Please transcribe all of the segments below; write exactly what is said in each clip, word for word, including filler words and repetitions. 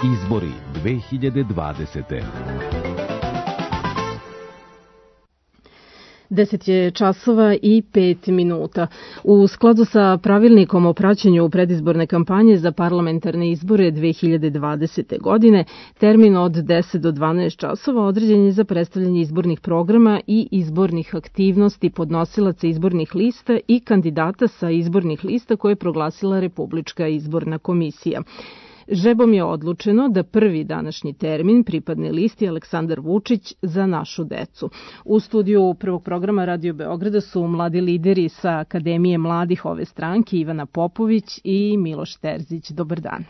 Izbori dve hiljade dvadesete. Deset je časova i pet minuta. U skladu sa pravilnikom o praćenju predizborne kampanje za parlamentarne izbore dve hiljade dvadesete. godine, termin od deset do dvanaest časova određen je za predstavljanje izbornih programa i izbornih aktivnosti podnosilaca izbornih lista i kandidata sa izbornih lista koje je proglasila Republička izborna komisija. Žrebom je odlučeno da prvi današnji termin pripadne listi Aleksandar Vučić za našu decu. U studiju prvog programa Radio Beograda su mladi lideri sa Akademije mladih ove stranke Ivana Popović i Miloš Terzić. Dobar dan.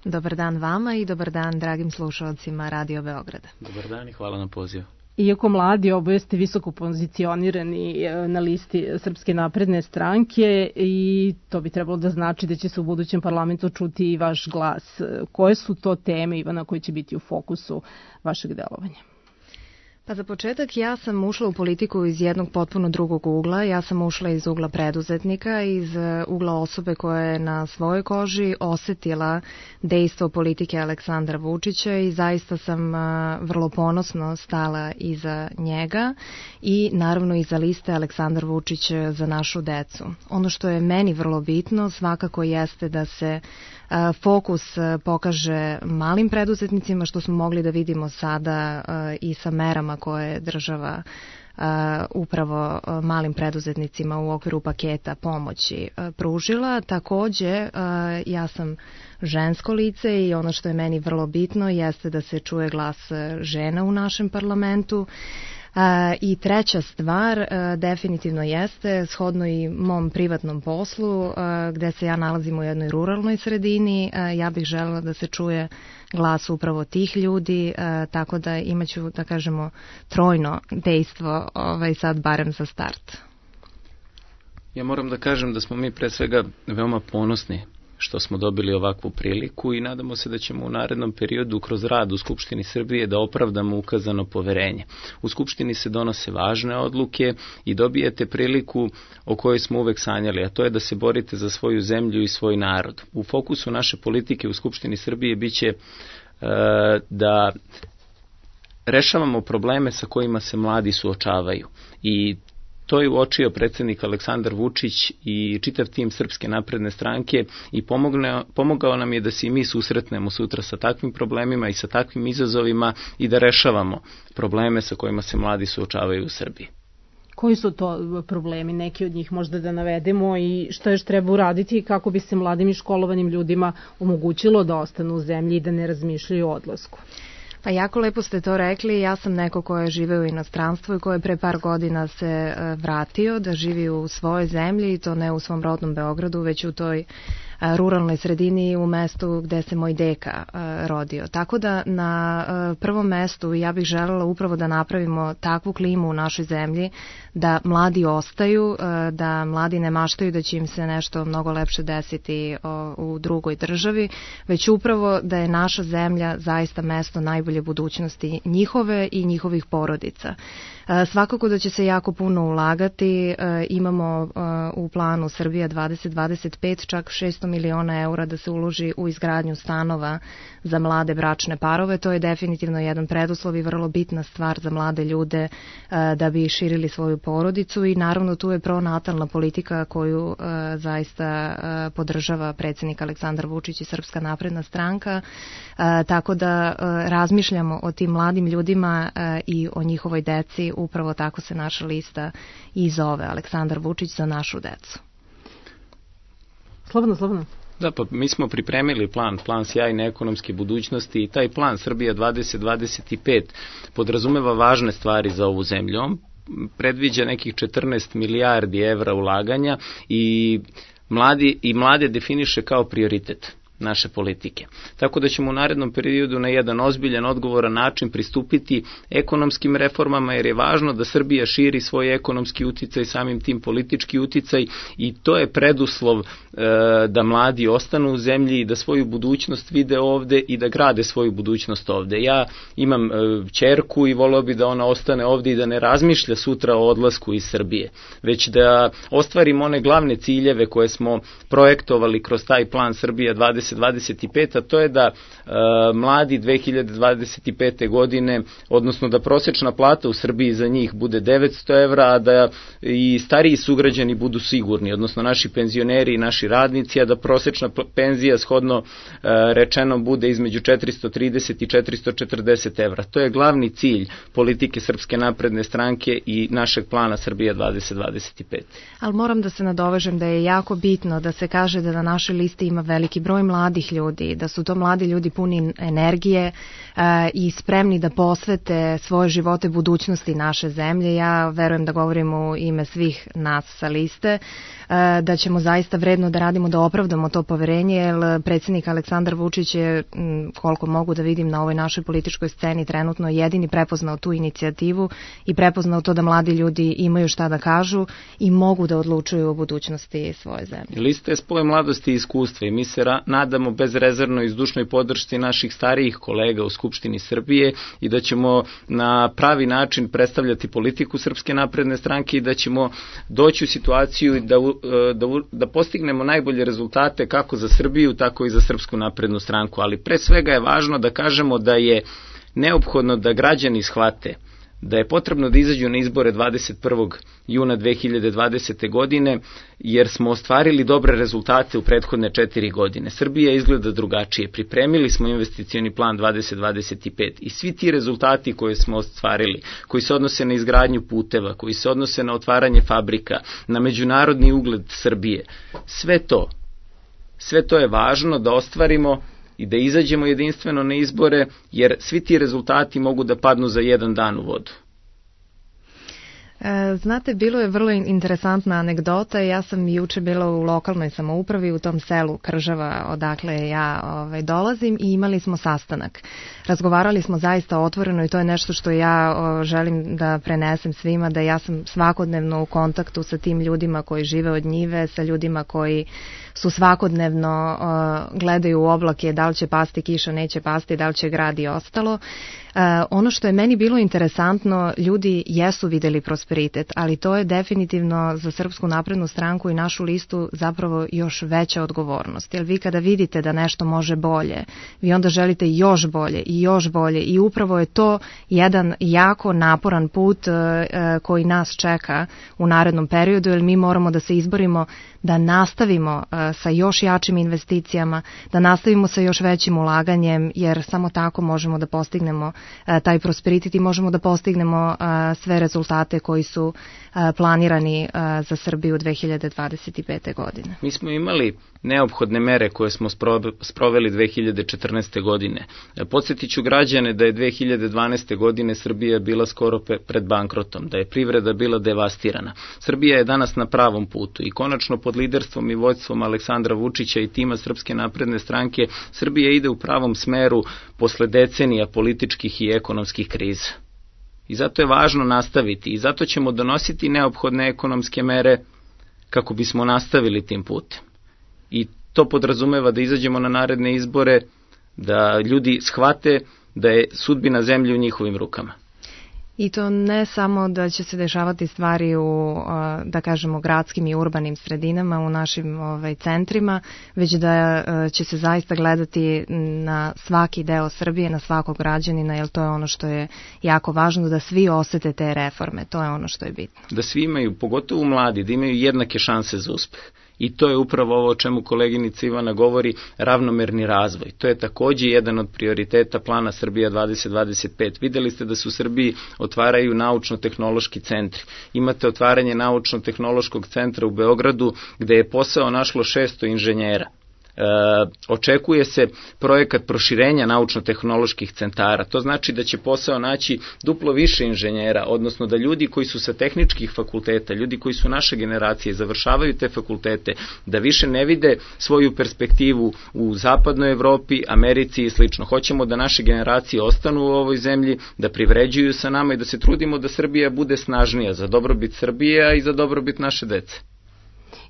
Dobar dan vama i dobar dan dragim slušalcima Radio Beograda. Dobar dan i hvala na pozivu. Iako mladi, oboje ste visoko pozicionirani na listi Srpske napredne stranke i to bi trebalo da znači da će se u budućem parlamentu čuti i vaš glas. Koje su to teme, Ivana, koje će biti u fokusu vašeg delovanja? Pa za početak ja sam ušla u politiku iz jednog potpuno drugog ugla. Ja sam ušla iz ugla preduzetnika, iz ugla osobe koja je na svojoj koži osetila dejstvo politike Aleksandra Vučića i zaista sam vrlo ponosno stala iza njega i naravno iza liste Aleksandar Vučić za našu decu. Ono što je meni vrlo bitno svakako jeste da se fokus pokaže malim preduzetnicima, što smo mogli da vidimo sada i sa merama koje je država upravo malim preduzetnicima u okviru paketa pomoći pružila. Takođe, ja sam žensko lice i ono što je meni vrlo bitno jeste da se čuje glas žena u našem parlamentu. I treća stvar definitivno jeste, shodno i mom privatnom poslu, gde se ja nalazim u jednoj ruralnoj sredini, ja bih želela da se čuje glas upravo tih ljudi, tako da imaću, da kažemo, trojno dejstvo ovaj, sad barem za start. Ja moram da kažem da smo mi pre svega veoma ponosni što smo dobili ovakvu priliku i nadamo se da ćemo u narednom periodu kroz rad u Skupštini Srbije da opravdamo ukazano poverenje. U Skupštini se donose važne odluke i dobijete priliku o kojoj smo uvek sanjali, a to je da se borite za svoju zemlju i svoj narod. U fokusu naše politike u Skupštini Srbije biće e, da rešavamo probleme sa kojima se mladi suočavaju i to je uočio predsjednik Aleksandar Vučić i čitav tim Srpske napredne stranke i pomogne, pomogao nam je da se i mi susretnemo sutra sa takvim problemima i sa takvim izazovima i da rešavamo probleme sa kojima se mladi suočavaju u Srbiji. Koji su to problemi, neki od njih možda da navedemo i što još treba uraditi kako bi se mladim i školovanim ljudima omogućilo da ostanu u zemlji i da ne razmišljaju o odlasku? Pa jako lepo ste to rekli, ja sam neko ko je živeo u inostranstvu i ko je pre par godina se vratio da živi u svojoj zemlji i to ne u svom rodnom Beogradu, već u toj ruralnoj sredini u mestu gde se moj deka rodio. Tako da na prvom mestu ja bih želela upravo da napravimo takvu klimu u našoj zemlji da mladi ostaju, da mladi ne maštaju da će im se nešto mnogo lepše desiti u drugoj državi, već upravo da je naša zemlja zaista mesto najbolje budućnosti njihove i njihovih porodica. Svakako da će se jako puno ulagati, imamo u planu Srbija dvadeset dvadeset pet čak šesto miliona eura da se uloži u izgradnju stanova za mlade bračne parove, to je definitivno jedan preduslov i vrlo bitna stvar za mlade ljude da bi širili svoju porodicu i naravno tu je pronatalna politika koju zaista podržava predsjednik Aleksandar Vučić i Srpska napredna stranka, tako da razmišljamo o tim mladim ljudima i o njihovoj deci. Upravo tako se naša lista i zove, Aleksandar Vučić za našu decu. Slobodno, slobodno. Da, pa mi smo pripremili plan, plan sjajne ekonomske budućnosti i taj plan Srbija dvadeset dvadeset pet podrazumeva važne stvari za ovu zemlju. On predviđa nekih četrnaest milijardi evra ulaganja i mladi i mlade definiše kao prioritet naše politike. Tako da ćemo u narednom periodu na jedan ozbiljan, odgovoran način pristupiti ekonomskim reformama, jer je važno da Srbija širi svoj ekonomski uticaj, samim tim politički uticaj, i to je preduslov e, da mladi ostanu u zemlji i da svoju budućnost vide ovde i da grade svoju budućnost ovde. Ja imam e, ćerku i voleo bi da ona ostane ovde i da ne razmišlja sutra o odlasku iz Srbije, već da ostvarimo one glavne ciljeve koje smo projektovali kroz taj plan Srbija dvadeset dvadeset dvadeset pet, a to je da uh, mladi dve hiljade dvadeset pete godine, odnosno da prosječna plata u Srbiji za njih bude devetsto evra, a da i stariji sugrađani budu sigurni, odnosno naši penzioneri i naši radnici, a da prosječna penzija shodno uh, rečeno bude između četiristo trideset i četiristo četrdeset evra. To je glavni cilj politike Srpske napredne stranke i našeg plana Srbija dvadeset dvadeset pet. Ali moram da se nadovežem da je jako bitno da se kaže da na našoj listi ima veliki broj mladih ljudi, da su to mladi ljudi puni energije e, i spremni da posvete svoje živote budućnosti naše zemlje. Ja verujem da govorim u ime svih nas sa liste, e, da ćemo zaista vredno da radimo da opravdamo to poverenje, jer predsjednik Aleksandar Vučić je, koliko mogu da vidim na ovoj našoj političkoj sceni, trenutno jedini prepoznao tu inicijativu i prepoznao to da mladi ljudi imaju šta da kažu i mogu da odlučuju o budućnosti svoje zemlje. Lista je spoj mladosti i iskustva i mi se ra- nadamo bezrezervno i zdušnoj podršci naših starijih kolega u Skupštini Srbije i da ćemo na pravi način predstavljati politiku Srpske napredne stranke i da ćemo doći u situaciju da, da, da postignemo najbolje rezultate kako za Srbiju, tako i za Srpsku naprednu stranku. Ali pre svega je važno da kažemo da je neophodno da građani shvate da je potrebno da izađu na izbore dvadeset prvog juna dve hiljade dvadesete. godine, jer smo ostvarili dobre rezultate u prethodne četiri godine. Srbija izgleda drugačije. Pripremili smo investicioni plan dvadeset dvadeset pet i svi ti rezultati koje smo ostvarili, koji se odnose na izgradnju puteva, koji se odnose na otvaranje fabrika, na međunarodni ugled Srbije, sve to, sve to je važno da ostvarimo i da izađemo jedinstveno na izbore, jer svi ti rezultati mogu da padnu za jedan dan u vodu. Znate, bilo je vrlo interesantna anegdota. Ja sam juče bila u lokalnoj samoupravi u tom selu Kržava odakle ja ovaj, dolazim i imali smo sastanak. Razgovarali smo zaista otvoreno i to je nešto što ja o, želim da prenesem svima, da ja sam svakodnevno u kontaktu sa tim ljudima koji žive od njive, sa ljudima koji su svakodnevno o, gledaju u oblake da li će pasti kiša, neće pasti, da li će grad i ostalo. Uh, ono što je meni bilo interesantno, ljudi jesu videli prosperitet, ali to je definitivno za Srpsku naprednu stranku i našu listu zapravo još veća odgovornost. Jer vi kada vidite da nešto može bolje, vi onda želite još bolje i još bolje i upravo je to jedan jako naporan put uh, uh, koji nas čeka u narednom periodu, jer mi moramo da se izborimo da nastavimo uh, sa još jačim investicijama, da nastavimo sa još većim ulaganjem, jer samo tako možemo da postignemo taj prosperitet i možemo da postignemo sve rezultate koji su planirani za Srbiju dve hiljade dvadeset pete. godine. Mi smo imali neophodne mere koje smo sproveli dve hiljade četrnaeste. godine. Podsjetit ću građane da je dve hiljade dvanaeste. godine Srbija bila skoro pred bankrotom, da je privreda bila devastirana. Srbija je danas na pravom putu i konačno pod liderstvom i vođstvom Aleksandra Vučića i tima Srpske napredne stranke Srbija ide u pravom smeru posle decenija političkih i ekonomskih kriza. I zato je važno nastaviti i zato ćemo donositi neophodne ekonomske mere kako bismo nastavili tim putem. I to podrazumeva da izađemo na naredne izbore, da ljudi shvate da je sudbina zemlje u njihovim rukama. I to ne samo da će se dešavati stvari u, da kažemo, gradskim i urbanim sredinama, u našim ovaj, centrima, već da će se zaista gledati na svaki deo Srbije, na svakog građanina, jer to je ono što je jako važno, da svi osete te reforme, to je ono što je bitno. Da svi imaju, pogotovo mladi, da imaju jednake šanse za uspeh. I to je upravo ovo o čemu koleginica Ivana govori, ravnomerni razvoj. To je takođe jedan od prioriteta plana Srbija dvadeset dvadeset pet. Videli ste da se u Srbiji otvaraju naučno-tehnološki centri. Imate otvaranje naučno-tehnološkog centra u Beogradu gde je posao našlo šesto inženjera. E, očekuje se projekat proširenja naučno-tehnoloških centara. To znači da će posao naći duplo više inženjera, odnosno da ljudi koji su sa tehničkih fakulteta, ljudi koji su naše generacije, završavaju te fakultete, da više ne vide svoju perspektivu u zapadnoj Evropi, Americi i slično. Hoćemo da naše generacije ostanu u ovoj zemlji, da privređuju sa nama i da se trudimo da Srbija bude snažnija za dobrobit Srbije i za dobrobit naše dece.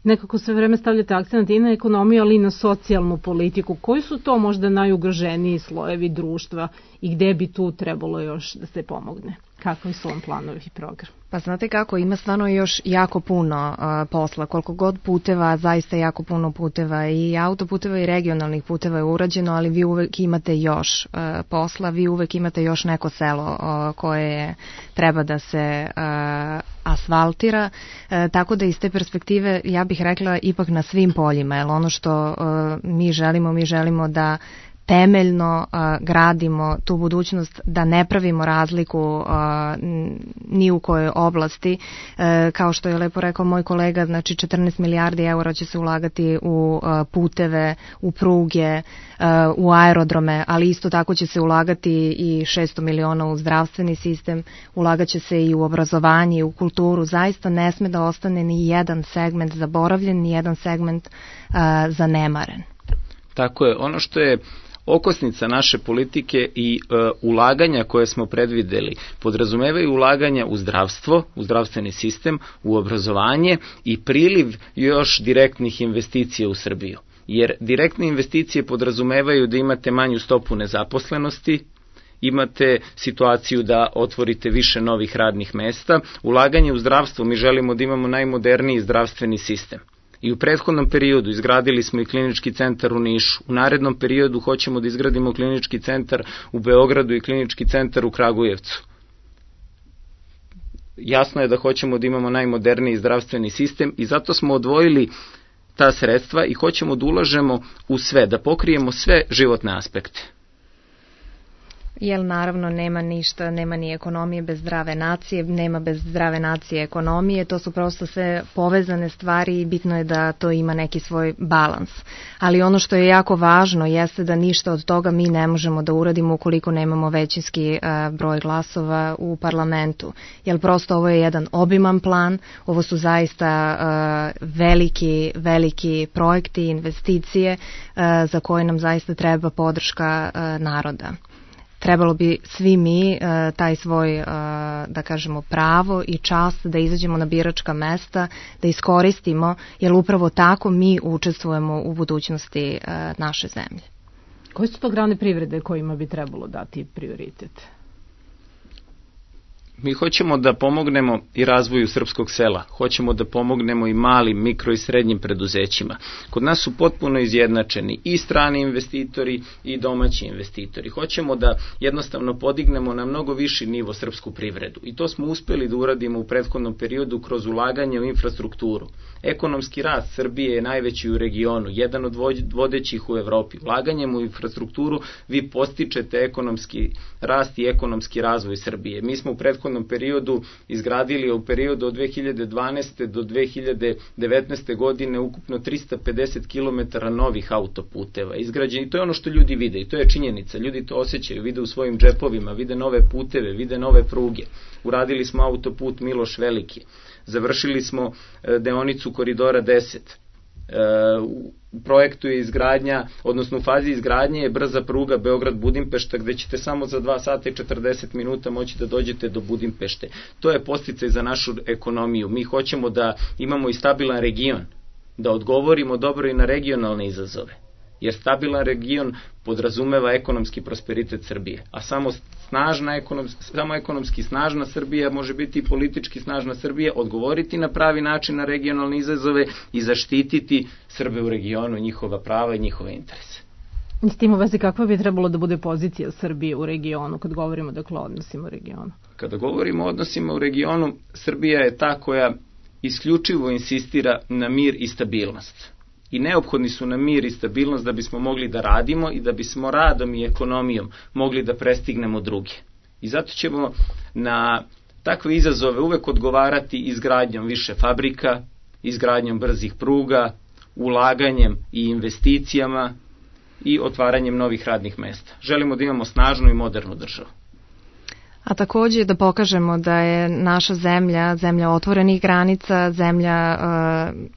Nekako sve vreme stavljate akcent i na ekonomiju, ali i na socijalnu politiku. Koji su to možda najugroženiji slojevi društva i gde bi tu trebalo još da se pomogne? Kakvi su vam planovi i program? Pa znate kako, ima stvarno još jako puno uh, posla, koliko god puteva, zaista jako puno puteva i autoputeva i regionalnih puteva je urađeno, ali vi uvek imate još uh, posla, vi uvek imate još neko selo uh, koje treba da se uh, asfaltira, uh, tako da iz te perspektive ja bih rekla ipak na svim poljima, jer ono što uh, mi želimo, mi želimo da temeljno uh, gradimo tu budućnost, da ne pravimo razliku uh, ni u kojoj oblasti. Uh, kao što je lepo rekao moj kolega, znači četrnaest milijardi eura će se ulagati u uh, puteve, u pruge, uh, u aerodrome, ali isto tako će se ulagati i šesto miliona u zdravstveni sistem, ulagat će se i u obrazovanje, i u kulturu. Zaista ne sme da ostane ni jedan segment zaboravljen, ni jedan segment uh, zanemaren. Tako je, ono što je okosnica naše politike i e, ulaganja koje smo predvideli podrazumevaju ulaganja u zdravstvo, u zdravstveni sistem, u obrazovanje i priliv još direktnih investicija u Srbiju. Jer direktne investicije podrazumevaju da imate manju stopu nezaposlenosti, imate situaciju da otvorite više novih radnih mesta. Ulaganje u zdravstvo, mi želimo da imamo najmoderniji zdravstveni sistem. I u prethodnom periodu izgradili smo i klinički centar u Nišu. U narednom periodu hoćemo da izgradimo klinički centar u Beogradu i klinički centar u Kragujevcu. Jasno je da hoćemo da imamo najmoderniji zdravstveni sistem i zato smo odvojili ta sredstva i hoćemo da ulažemo u sve, da pokrijemo sve životne aspekte. Jer naravno nema ništa, nema ni ekonomije bez zdrave nacije, nema bez zdrave nacije ekonomije, to su prosto sve povezane stvari i bitno je da to ima neki svoj balans. Ali ono što je jako važno jeste da ništa od toga mi ne možemo da uradimo ukoliko nemamo većinski uh, broj glasova u parlamentu. Jer prosto ovo je jedan obiman plan, ovo su zaista uh, veliki, veliki projekti, investicije uh, za koje nam zaista treba podrška uh, naroda. Trebalo bi svi mi uh, taj svoj, uh, da kažemo, pravo i čast da izađemo na biračka mesta, da iskoristimo, jer upravo tako mi učestvujemo u budućnosti uh, naše zemlje. Koje su to grane privrede kojima bi trebalo dati prioritet? Mi hoćemo da pomognemo i razvoju srpskog sela, hoćemo da pomognemo i malim, mikro i srednjim preduzećima. Kod nas su potpuno izjednačeni i strani investitori i domaći investitori. Hoćemo da jednostavno podignemo na mnogo viši nivo srpsku privredu i to smo uspeli da uradimo u prethodnom periodu kroz ulaganje u infrastrukturu. Ekonomski rast Srbije je najveći u regionu, jedan od vodećih u Evropi. Ulaganjem u infrastrukturu vi postičete ekonomski rast i ekonomski razvoj Srbije. Mi smo u prethodnom periodu izgradili u periodu od dve hiljade dvanaeste do dve hiljade devetnaeste godine ukupno trista pedeset kilometara novih autoputeva izgrađeni. To je ono što ljudi vide i to je činjenica. Ljudi to osjećaju, vide u svojim džepovima, vide nove puteve, vide nove pruge. Uradili smo autoput Miloš Veliki. Završili smo deonicu Koridora deset. U projektu je izgradnja, odnosno u fazi izgradnje je brza pruga Beograd-Budimpešta gde ćete samo za dva sata i četrdeset minuta moći da dođete do Budimpešte. To je podsticaj za našu ekonomiju. Mi hoćemo da imamo i stabilan region, da odgovorimo dobro i na regionalne izazove. Jer stabilan region podrazumeva ekonomski prosperitet Srbije, a samo snažna ekonomski, samo ekonomski snažna Srbija može biti i politički snažna Srbija, odgovoriti na pravi način na regionalne izazove i zaštititi Srbe u regionu, njihova prava i njihove interese. S tim u vezi kakva bi trebalo da bude pozicija Srbije u regionu kad govorimo dakle o odnosima u regionu? Kada govorimo o odnosima u regionu, Srbija je ta koja isključivo insistira na mir i stabilnost. I neophodni su nam mir i stabilnost da bismo mogli da radimo i da bismo radom i ekonomijom mogli da prestignemo druge. I zato ćemo na takve izazove uvek odgovarati izgradnjom više fabrika, izgradnjom brzih pruga, ulaganjem i investicijama i otvaranjem novih radnih mesta. Želimo da imamo snažnu i modernu državu. A takođe da pokažemo da je naša zemlja, zemlja otvorenih granica, zemlja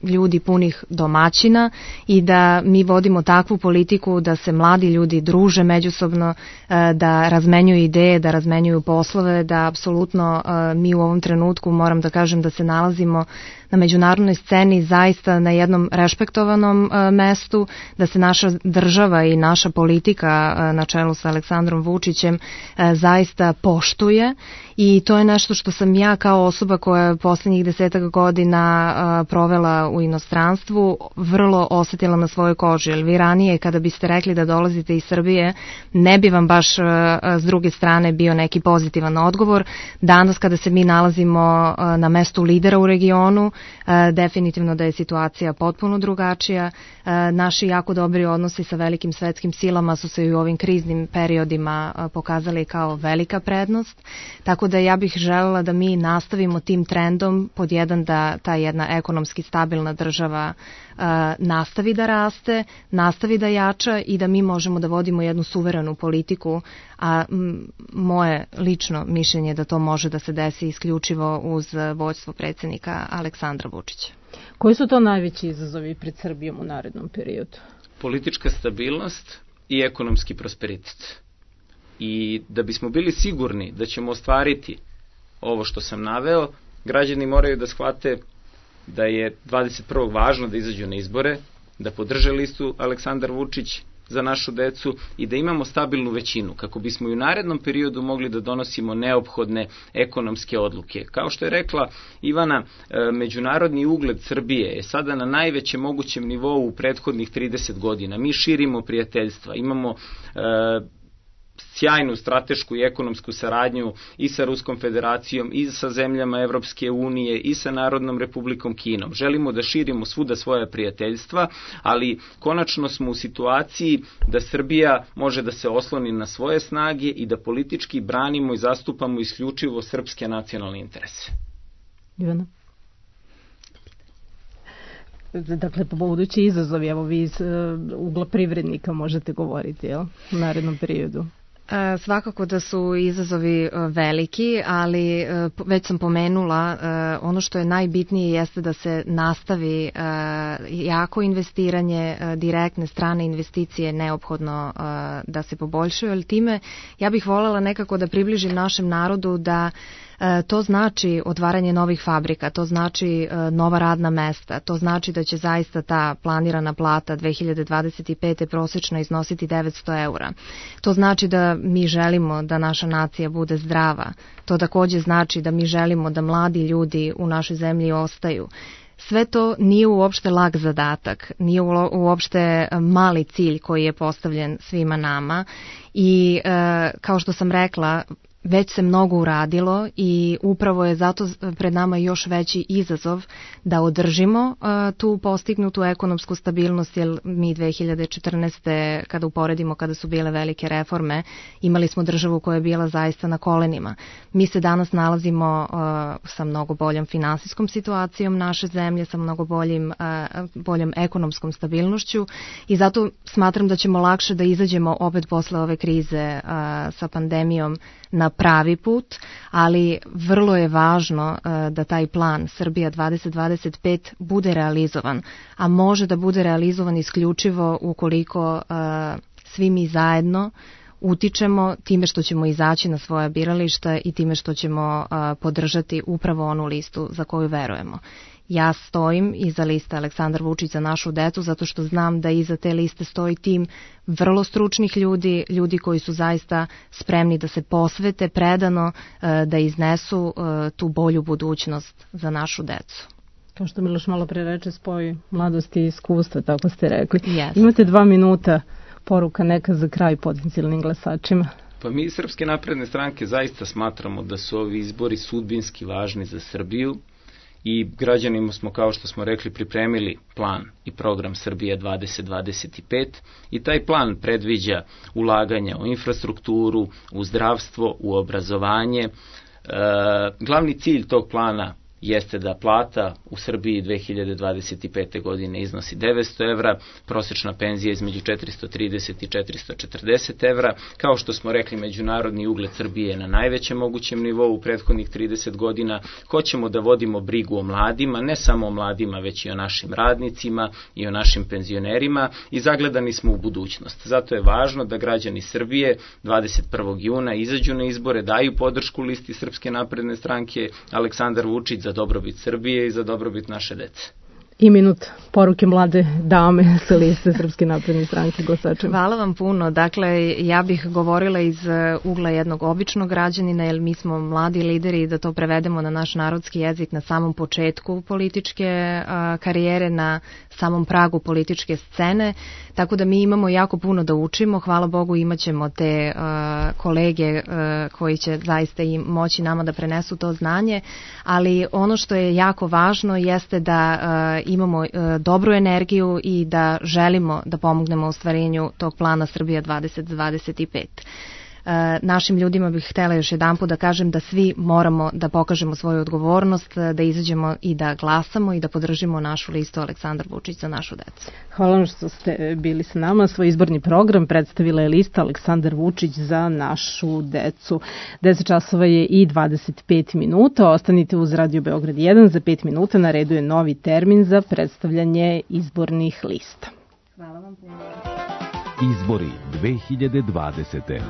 uh, ljudi punih domaćina i da mi vodimo takvu politiku da se mladi ljudi druže međusobno, uh, da razmenjuju ideje, da razmenjuju poslove, da apsolutno uh, mi u ovom trenutku moram da kažem da se nalazimo na međunarodnoj sceni zaista na jednom respektovanom mestu, da se naša država i naša politika na čelu sa Aleksandrom Vučićem zaista poštuje, i to je nešto što sam ja kao osoba koja je poslednjih desetak godina provela u inostranstvu vrlo osetila na svojoj koži. Jer vi ranije kada biste rekli da dolazite iz Srbije, ne bi vam baš s druge strane bio neki pozitivan odgovor. Danas kada se mi nalazimo na mestu lidera u regionu, definitivno da je situacija potpuno drugačija. Naši jako dobri odnosi sa velikim svetskim silama su se i u ovim kriznim periodima pokazali kao velika prednost. Tako da ja bih želela da mi nastavimo tim trendom, pod jedan da ta jedna ekonomski stabilna država uh, nastavi da raste, nastavi da jača i da mi možemo da vodimo jednu suverenu politiku, a m, moje lično mišljenje je da to može da se desi isključivo uz vođstvo predsjednika Aleksandra Vučića. Koji su to najveći izazovi pred Srbijom u narednom periodu? Politička stabilnost i ekonomski prosperitet. I da bismo bili sigurni da ćemo ostvariti ovo što sam naveo, građani moraju da shvate da je dvadeset prvog važno da izađu na izbore, da podrže listu Aleksandar Vučić za našu decu i da imamo stabilnu većinu, kako bismo i u narednom periodu mogli da donosimo neophodne ekonomske odluke. Kao što je rekla Ivana, međunarodni ugled Srbije je sada na najvećem mogućem nivou u prethodnih trideset godina. Mi širimo prijateljstva, imamo sjajnu stratešku i ekonomsku saradnju i sa Ruskom federacijom, i sa zemljama Evropske unije, i sa Narodnom republikom Kinom. Želimo da širimo svuda svoja prijateljstva, ali konačno smo u situaciji da Srbija može da se osloni na svoje snage i da politički branimo i zastupamo isključivo srpske nacionalne interese. Ivana? Dakle, po budući izazovi, evo vi iz uh, ugla privrednika možete govoriti, jel, u narednom periodu? Svakako da su izazovi veliki, ali već sam pomenula, ono što je najbitnije jeste da se nastavi jako investiranje, direktne strane investicije neophodno da se poboljšaju, ali time ja bih voljela nekako da približim našem narodu da to znači otvaranje novih fabrika, to znači nova radna mesta, to znači da će zaista ta planirana plata dve hiljade dvadeset pete prosječno iznositi devetsto eura. To znači da mi želimo da naša nacija bude zdrava. To takođe znači da mi želimo da mladi ljudi u našoj zemlji ostaju. Sve to nije uopšte lag zadatak, nije uopšte mali cilj koji je postavljen svima nama i e, kao što sam rekla, već se mnogo uradilo i upravo je zato pred nama još veći izazov da održimo uh, tu postignutu ekonomsku stabilnost, jer mi dve hiljade četrnaeste. kada uporedimo kada su bile velike reforme, imali smo državu koja je bila zaista na kolenima. Mi se danas nalazimo uh, sa mnogo boljom finansijskom situacijom naše zemlje, sa mnogo boljim, uh, boljom ekonomskom stabilnošću i zato smatram da ćemo lakše da izađemo opet posle ove krize uh, sa pandemijom na pravi put, ali vrlo je važno uh, da taj plan Srbija dvadeset dvadeset pet bude realizovan, a može da bude realizovan isključivo ukoliko uh, svi mi zajedno utičemo time što ćemo izaći na svoja birališta i time što ćemo uh, podržati upravo onu listu za koju verujemo. Ja stojim iza liste Aleksandar Vučić za našu decu zato što znam da iza te liste stoji tim vrlo stručnih ljudi, ljudi koji su zaista spremni da se posvete predano, da iznesu tu bolju budućnost za našu decu. Kao što Miloš malo pre reče, spoj mladosti i iskustva, tako ste rekli. Yes. Imate dva minuta, poruka neka za kraj potencijalnim glasačima. Pa mi iz Srpske napredne stranke zaista smatramo da su ovi izbori sudbinski važni za Srbiju i građanima smo, kao što smo rekli, pripremili plan i program Srbija dvadeset dvadeset pet i taj plan predviđa ulaganja u infrastrukturu, u zdravstvo, u obrazovanje. E, glavni cilj tog plana jeste da plata u Srbiji dve hiljade dvadeset pete. godine iznosi devetsto evra, prosječna penzija između četiristo trideset i četiristo četrdeset evra. Kao što smo rekli, međunarodni ugled Srbije je na najvećem mogućem nivou u prethodnih trideset godina. Hoćemo da vodimo brigu o mladima, ne samo o mladima, već i o našim radnicima i o našim penzionerima i zagledani smo u budućnost. Zato je važno da građani Srbije dvadeset prvog juna izađu na izbore, daju podršku listi Srpske napredne stranke Aleksandar Vučić za za dobrobit Srbije i za dobrobit naše dece. I minut poruke mlade dame sa liste Srpske napredne stranke glasačima. Hvala vam puno. Dakle, ja bih govorila iz ugla jednog običnog građanina, jer mi smo mladi lideri, da to prevedemo na naš narodski jezik na samom početku političke a, karijere, na samom pragu političke scene, tako da mi imamo jako puno da učimo. Hvala Bogu, imat ćemo te a, kolege a, koji će zaista i moći nama da prenesu to znanje, ali ono što je jako važno jeste da a, imamo e, dobru energiju i da želimo da pomognemo u ostvarenju tog plana Srbija dvadeset dvadeset pet. E, našim ljudima bih htjela još jedanput da kažem da svi moramo da pokažemo svoju odgovornost, da izađemo i da glasamo i da podržimo našu listu Aleksandar Vučić za našu decu. Hvala vam što ste bili s nama. Svoj izborni program predstavila je lista Aleksandar Vučić za našu decu. deset časova je i dvadeset pet minuta. Ostanite uz Radio Beograd jedan. Za pet minuta na redu je novi termin za predstavljanje izbornih lista. Hvala vam puno. Izbori dve hiljade dvadesete.